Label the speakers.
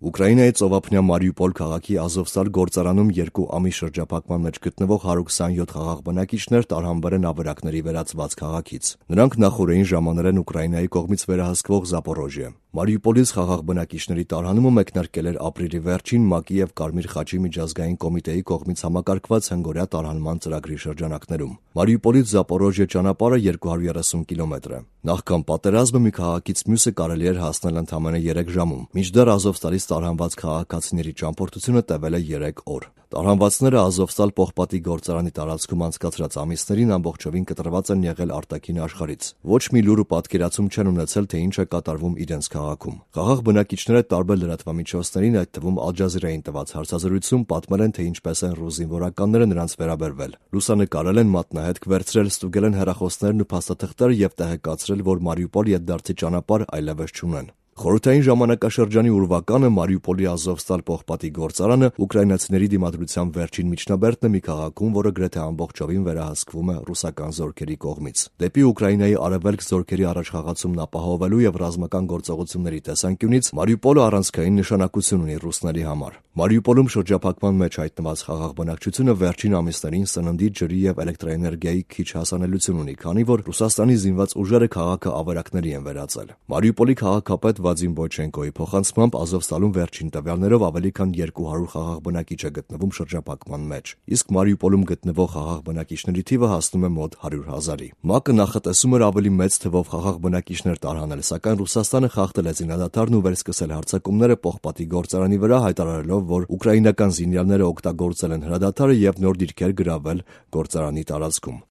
Speaker 1: Ուկրաինայի ծովափնյա Մարիուպոլ քաղաքի Ազովստալ գործարանում 2 ամիս շրջափակման մեջ գտնվող 127 խաղաղ բնակիչներ տարհանվել են ավերակների վերածված քաղաքից։ Նրանք նախօրեին ժամանել են Ուկրաինայի կողմից վերահսկվող Զապորոժիե։ Մարիուպոլից խաղաղ բնակիչների տարհանումը մեկնարկել էր ապրիլի վերջին ՄԱԿ-ի եւ Կարմիր խաչի միջազգային կոմիտեի կողմից համակարգված հնգօրյա տարհանման ծրագրի շրջանակներում։ Մարիուպոլից Զապորոժիե ճանապարհը 230 կիլոմետր է։ Նախքան պատերազմը մի քաղաքից մյուսը կարելի էր հասնել ընդամենը 3 ժամում, մինչդեռ Ազովստալից տարհանված քաղաքացիների ճամփորդությունը տևել է 3 օր։ Տարհանվածները Ազովստալ պողպատի գործարանի տարածքում անցկացրած ամիսներին ամբողջովին կտրված են եղել արտաքին աշխարհից։ Ոչ մի լուր ու պատկերացում չեն ունեցել, թե ինչ է կատարվում իրենց քաղաքում։ Խաղաղ բնակիչները տարբեր լրատվամիջոցներին, այդ թվում Ալ Ջազիրային տված հարցազրույցում պատմել են, թե ինչպես են ռուս զինվորականները նրանց վերաբերվել։ Լուսանկարել են, մատնահետք վերցրել, ստուգել են հեռախոսներն ու փաստաթղթերը եւ տեղեկացրել, որ Մարիուպոլ ետդարձի ճանապարհ այլևս չունեն։ Խորհրդային ժամանակաշրջանի ուրվականը Մարիուպոլի Ազովստալ պողպատի գործարանը ուկրաինացիների դիմադրության վերջին միջնաբերդն է մի քաղաքում, որը գրեթե ամբողջովին վերահսկվում է ռուսական զորքերի կողմից։ Դեպի Ուկրաինայի արևելք զորքերի առաջխաղացումն ապահովելու եւ ռազմական գործողությունների տեսանկյունից Մարիուպոլը առանցքային նշանակություն ունի ռուսների համար։ Մարիուպոլում շրջափակման մեջ հայտնված խաղաղ բնակչությունը վերջին ամիսներին սննդի, ջրի եւ էլեկտրաէներգիայի քիչ հասանելիություն ունի, քանի որ Ռուսաստանի զինված ուժերը քաղաքը ավերակների են վերածել։ Մարիուպոլի քաղաքապետ Վադիմ Բոյչենկոյի փոխանցմամբ Ազովստալում վերջին տվյալներով ավելի քան 200 խաղաղ բնակիչ է գտնվում շրջափակման մեջ, իսկ Մարիուպոլում գտնվող խաղաղ բնակիչների թիվը հասնում է մոտ 100,000-ի։ ՄԱԿ-ը նախատեսում էր ավելի մեծ թվով խաղաղ բնակիչներ տարհանել, սակայն Ռուսաստանը խախտել է զինադադարն ու վերսկսել հարձակումները պողպատի գործարանի վրա, հայտարարելով, որ ուկրաինական զինյալները օգտագործել են հրադադարը եւ նոր դիրքեր գրավել գործարանի տարածքում։